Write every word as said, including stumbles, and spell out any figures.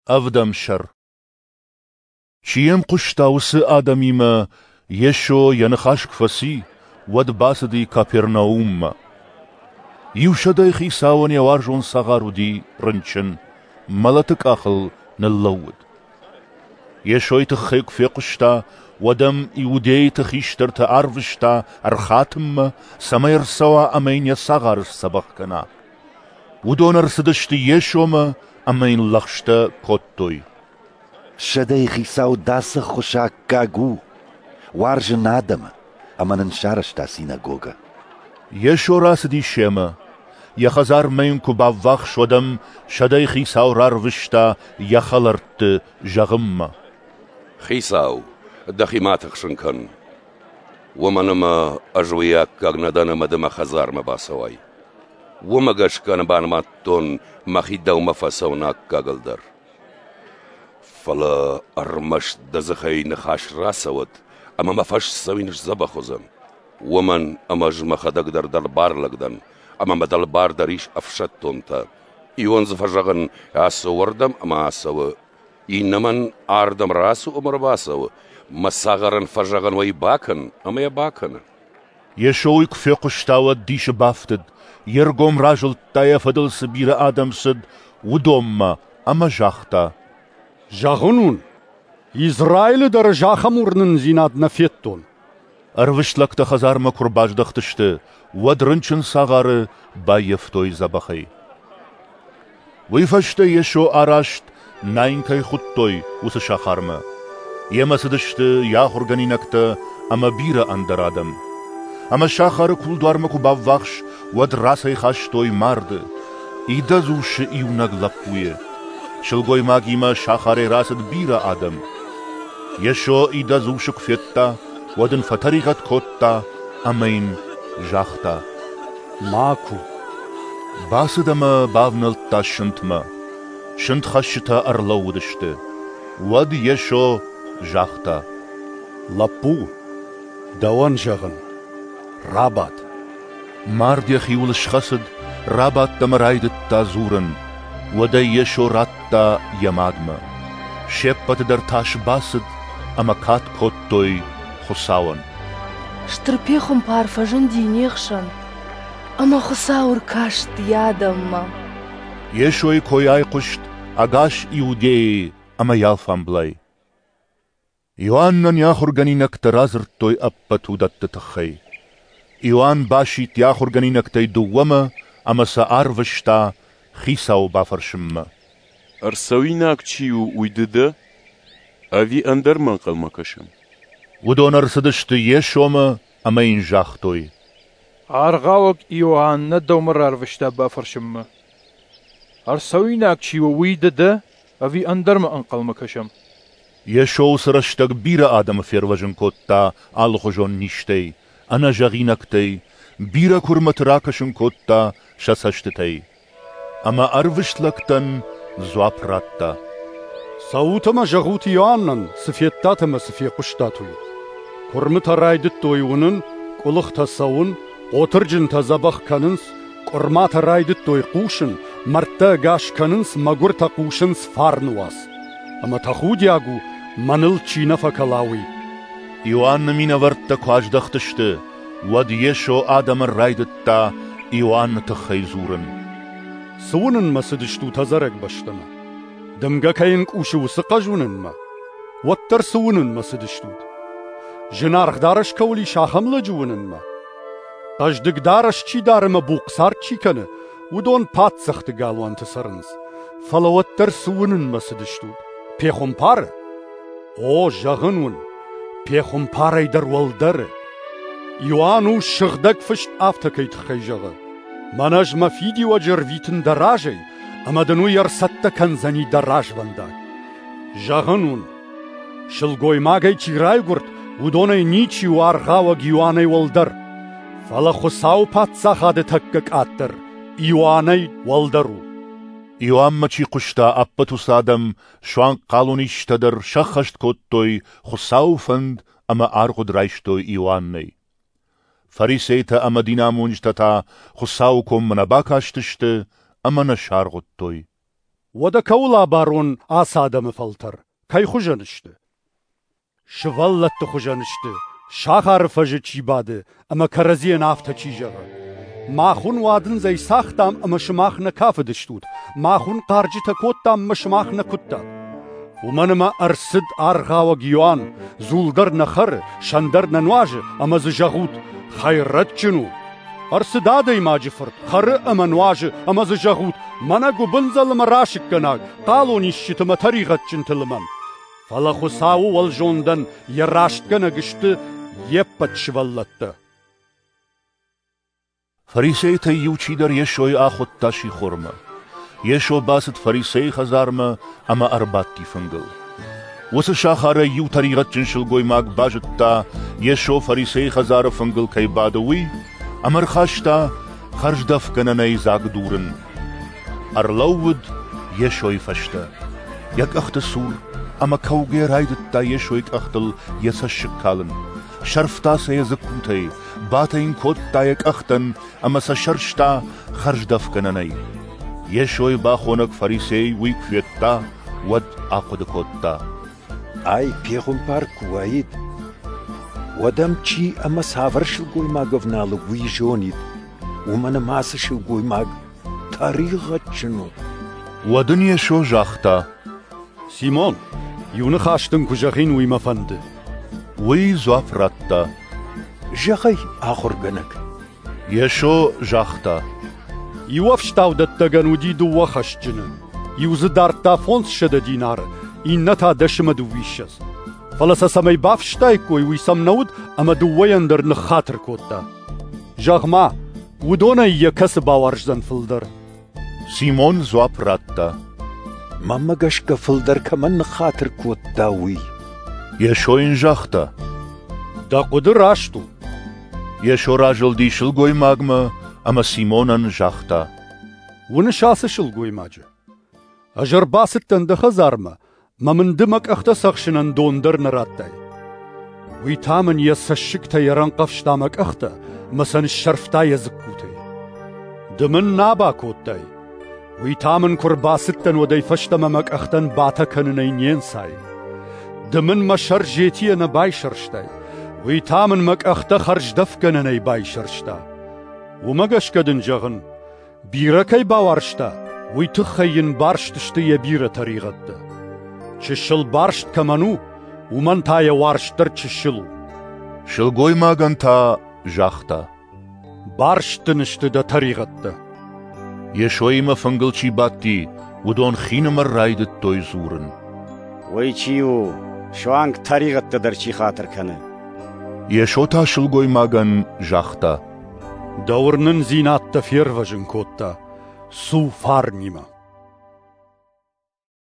Ӕвдӕм сӕр. Чи йӕм хъуыста, уыцы адӕмимӕ Йесо йӕ ныхас куы фӕци, уӕд бацыди Капернауммӕ. Иу сӕдӕйы хицауӕн йӕ уарзон цагъар уыди рынчын, мӕлӕты къахыл ныллӕууыд. Йесойы тыххӕй куы фехъуыста, уӕд ӕм иудейты хистӕрты арвыста ӕрхатынмӕ, цӕмӕй ӕрцӕуа ӕмӕ йын йӕ цагъары сдзӕбӕх кӕна. Уыдон ӕрцыдысты Йесомӕ ӕмӕ йын лӕгъстӕ кодтой. Сӕдӕйы хицау дӕ ацы ӕххуысы аккаг у, уарзы нӕ адӕмы, ӕмӕ нын сарӕзта синагогӕ. Йесо рацыди семӕ. Йӕ хӕдзармӕ йын куы баввахс, уӕд ӕм сӕдӕйы хицау рарвыста йӕ хӕлӕртты зӕгъынмӕ: Хицау, дӕхи ма тыхсын кӕн, уымӕн ӕмӕ ӕз уый аккаг нӕ дӕн, ӕмӕ ды мӕ хӕдзармӕ бацӕуай. Уымӕ гӕсгӕ нӕ банымадтон мӕхи дӕумӕ фӕцӕуын аккагыл дӕр. Фӕлӕ ӕрмӕст дӕ дзыхӕй ныхас рацӕуӕд, ӕмӕ мӕ фӕсдзӕуин сдзӕбӕх уыдзӕн. Уымӕн ӕмӕ ӕз мӕхӕдӕг дӕр дӕлбар лӕг дӕн, ӕмӕ мӕ дӕлбар дӕр ис ӕфсӕддонтӕ. Иуӕн дзы фӕзӕгъын, ацу уырдӕм ӕмӕ ацӕуы, иннӕмӕн ардӕм рацу ӕмӕ ӕрбацӕуы, мӕ цагъарӕн фӕзӕгъын, уый бакӕн, ӕмӕ йӕ бакӕны. Йесо уый куы фехъуыста, уӕд дисы бафтыд, йе ргом разылдта, йӕ фӕдыл цы бирӕ адӕм цыд, уыдонмӕ ӕмӕ загъта: Зӕгъын уын, Израилы дӕр ӕз ахӕм уырнындзинад нӕ федтон. Ӕрвыст лӕгтӕ хӕдзармӕ куы ӕрбаздӕхтысты, уӕд рынчын цагъары баййӕфтой дзӕбӕхӕй. Уый фӕстӕ Йесо араст, Наин кӕй хуыдтой, уыцы сахармӕ. Йемӕ цыдысты йӕ ахуыргӕнинӕгтӕ ӕмӕ бирӕ ӕндӕр адӕм. Ӕмӕ сахары кулдуармӕ куы баввахс, уӕд рацӕйхастой марды, идӕдз усы иунӕг лӕппуйы. Сылгоймагимӕ сахарӕй рацыд бирӕ адӕм. Йесо идӕдз усы куы федта, уӕд ын фӕтӕригъӕд кодта ӕмӕ йын загъта: Ма ку. Бацыд ӕмӕ бавнӕлдта сынтмӕ. Сынтхӕсджытӕ ӕрлӕууыдысты. Уӕд Йесо загъта: Лӕппу, дӕуӕн зӕгъын, рабад. Мард йӕхиуыл схӕцыд, рабадт ӕмӕ райдыдта дзурын. Уӕд ӕй Йесо радта йӕ мадмӕ. Се ппӕты дӕр тас бацыд ӕмӕ кад кодтой Хуыцауӕн. Стыр пехуымпар фӕзынди не хсӕн, ӕмӕ Хуыцау ӕркаст йӕ адӕммӕ. Йесойы кой айхъуыст ӕгас Иудейы ӕмӕ йӕ алфамблай. Иоаннӕн йӕ ахуыргӕнинӕгтӕ радзырдтой ӕппӕт уыдӕтты тыххӕй. Иоанн басидт йӕ ахуыргӕнинӕгтӕй дыууӕмӕ ӕмӕ сӕ арвыста Хицауы бафӕрсынмӕ. Ӕрцӕуинаг чи у, уый ды дӕ, ӕви ӕндӕрмӕ ӕнхъӕлмӕ кӕсӕм? Уыдон ӕрцыдысты Йесомӕ ӕмӕ йын загътой: Аргъауӕг Иоанн нӕ дӕумӕ рарвыста бафӕрсынмӕ. Ӕрцӕуинаг чи у, уый ды дӕ, ӕви ӕндӕрмӕ ӕнхъӕлмӕ кӕсӕм? Йесо уыцы рӕстӕг бирӕ адӕмы фервӕзын кодта алыхуызон низтӕй, ӕнӕзӕгъинӕгтӕй, бирӕ куырмыты ракӕсын кодта сӕ цӕстытӕй. Ӕмӕ ӕрвыст лӕгтӕн дзуапп радта: Цӕут ӕмӕ зӕгъут Иоаннӕн, цы федтат ӕмӕ цы фехъуыстат, уый. Куырмытӕ райдыдтой уынын, къуылыхтӕ цӕуын, хъотырджынтӕ дзӕбӕх кӕнынц, къуырматӕ райдыдтой хъусын, мӕрдтӕ ӕгас кӕнынц, мӕгуыртӕ хъусынц фарны уац. Ӕмӕ тӕхудиаг у, мӕныл чи нӕ фӕкӕла, уый. Иоанны минӕвӕрттӕ куы аздӕхтысты, уӕд Йесо адӕмӕн райдыдта Иоанны тыххӕй дзурын. Цы уынынмӕ цыдыстут ӕдзӕрӕг бӕстӕмӕ? Дымгӕ кӕй ӕнкъусы, уыцы хъӕз уынынмӕ? Уӕддӕр цы уынынмӕ цыдыстут? Зынаргъ дарӕс кӕуыл ис, ахӕм лӕджы уынынмӕ? Хъӕздыг дарӕс чи дары ӕмӕ бухъ цард чи кӕны, уыдон паддзӕхты галуанты цӕрынц. Фӕлӕ уӕддӕр цы уынынмӕ цыдыстут? Пехуымпары? О, зӕгъын уын, пехуымпарӕй дӕр уӕлдӕры. Иоанн у сыгъдӕг фыст афтӕ кӕй тыххӕй зӕгъы: Мӕнӕ ӕз мӕ фидиуӕджы ӕрвитын дӕ разӕй, ӕмӕ дын уый ӕрцӕттӕ кӕндзӕни дӕ развӕндаг. Зӕгъын уын, сылгоймагӕй чи райгуырд, уыдонӕй ничи у аргъауӕг Иоаннӕй уӕлдӕр. Фӕлӕ Хуыцауы паддзахады тӕккӕ къаддӕр Иоаннӕй уӕлдӕр у. Иоаннмӕ чи хъуыста, ӕппӕт уыцы адӕм, суанг хъалонисджытӕ дӕр сӕххӕст кодтой Хуыцауы фӕнд ӕмӕ аргъуыд райстой Иоаннӕй. Фарисейтӕ ӕмӕ динамонджытӕ та Хуыцауы коммӕ нӕ бакастысты ӕмӕ нӕ саргъуыдтой. Уӕдӕ кӕуыл абарон ацы адӕмы фӕлтӕр? Кӕй хуызӕн сты? Сывӕллӕтты хуызӕн сты, сахары фӕзы чи бады ӕмӕ кӕрӕдзийӕн афтӕ чи зӕгъы: Мах уын уадындзӕй цагътам ӕмӕ сымах нӕ кафыдыстут, мах уын хъарджытӕ кодтам ӕмӕ сымах нӕ куыдтат. Уымӕн ӕмӕ ӕрцыд Аргъауӕг Иоанн, дзул дӕр нӕ хӕры, сӕн дӕр нӕ нуазы, ӕмӕ дзы зӕгъут: хӕйрӕджджын у. Ӕрцыд Адӕймаджы Фырт, хӕры ӕмӕ нуазы, ӕмӕ дзы зӕгъут: мӕнӕ гуыбындзӕл ӕмӕ расыггӕнаг, хъалонисджыты ӕмӕ тӕригъӕдджынты лымӕн. Фӕлӕ Хуыцауы уӕлзондӕн йӕ рӕстгӕнӕг сты йе ппӕт сывӕллӕттӕ. Фарисейтӕй иу чидӕр Йесойы ахуыдта сихормӕ. Йесо бацыд фарисейы хӕдзармӕ ӕмӕ ӕрбадти фынгыл. Уыцы сахарӕй иу тӕригъӕдджын сылгоймаг базыдта, Йесо фарисейы хӕдзары фынгыл кӕй бады, уый, ӕмӕ ӕрхаста хӕрздӕфгӕнӕнӕй дзаг дурын. Ӕрлӕууыд Йесойы фӕстӕ, йӕ къӕхты цур, ӕмӕ кӕугӕ райдыдта Йесойы къӕхтыл йӕ цӕссыг калын. Сӕрфта сӕ йӕ дзыккутӕй, батӕ йын кодта йӕ къӕхтӕн ӕмӕ сӕ сӕрста хӕрздӕфгӕнӕнӕй. Йесойы бахонӕг фарисей уый куы федта, уӕд ахъуыды кодта: Ай пехуымпар куы уаид, уӕд ӕм чи ӕмӕ цавӕр сылгоймаг ӕвналы, уый зонид, уымӕн ӕмӕ ацы сылгоймаг тӕригъӕдджын у. Уӕд ын Йесо загъта: Симон, иу ныхас дын куы зӕгъин, уый мӕ фӕнды. Уый дзуапп радта: Зӕгъ ӕй, ахуыргӕнӕг. Йесо загъта: Иу ӕфстаудӕттӕгӕн уыди дыууӕ хӕсджыны. Иу дзы дардта фондзсӕдӕ динары, иннӕ та дӕс ӕмӕ дыууиссӕдз. Фӕлӕ сӕ цӕмӕй бафстаиккой, уый сӕм нӕ уыд, ӕмӕ дыууӕйӕн дӕр ныххатыр кодта. Зӕгъ-ма, уыдонӕй йӕ кӕцы бауарздзӕн фылдӕр? Симон дзуапп радта: Мӕнмӕ гӕсгӕ фылдӕр кӕмӕн ныххатыр кодта, уый. Йесо йын загъта: Дӕ хъуыды раст у. Йесо разылди сылгоймагмӕ ӕмӕ Симонӕн загъта: Уыныс ацы сылгоймаджы? Ӕз ӕрбацыдтӕн дӕ хӕдзармӕ, мӕ мын ды мӕ къӕхтӕ цӕхсынӕн дон дӕр нӕ радтай. Уый та мын йӕ цӕссыгтӕй ӕрӕнхъӕвзта мӕ къӕхтӕ ӕмӕ сӕ ныссӕрфта йӕ дзыккутӕй. Ды мын нӕ бакодтай. Уый та мын куы ӕрбацыдтӕн, уӕдӕй фӕстӕмӕ мӕ къӕхтӕн батӕ кӕнынӕй не нцайы. Ды мын мӕ сӕр зетийӕ нӕ байсӕрстай. Уый та мын мӕ къӕхтӕ хӕрздӕфгӕнӕнӕй байсӕрста. Уымӕ гӕсгӕ дын зӕгъын, бирӕ кӕй бауарзта, уый тыххӕй йын барст сты йӕ бирӕ тӕригъӕдтӕ. Чысыл барст кӕмӕн у, уымӕн та йӕ уарзт дӕр чысыл у. Сылгоймагӕн та загъта: Барст дын сты дӕ тӕригъӕдтӕ. Йесоимӕ фынгыл чи бадти, уыдон хинымӕр райдыдтой дзурын: Уый чи у, суанг тӕригъӕдтӕ дӕр чи хатыр кӕны? Йесо та сылгоймагӕн загъта: Дӕ уырнындзинад дӕ фервӕзын кодта. Цу фарнимӕ.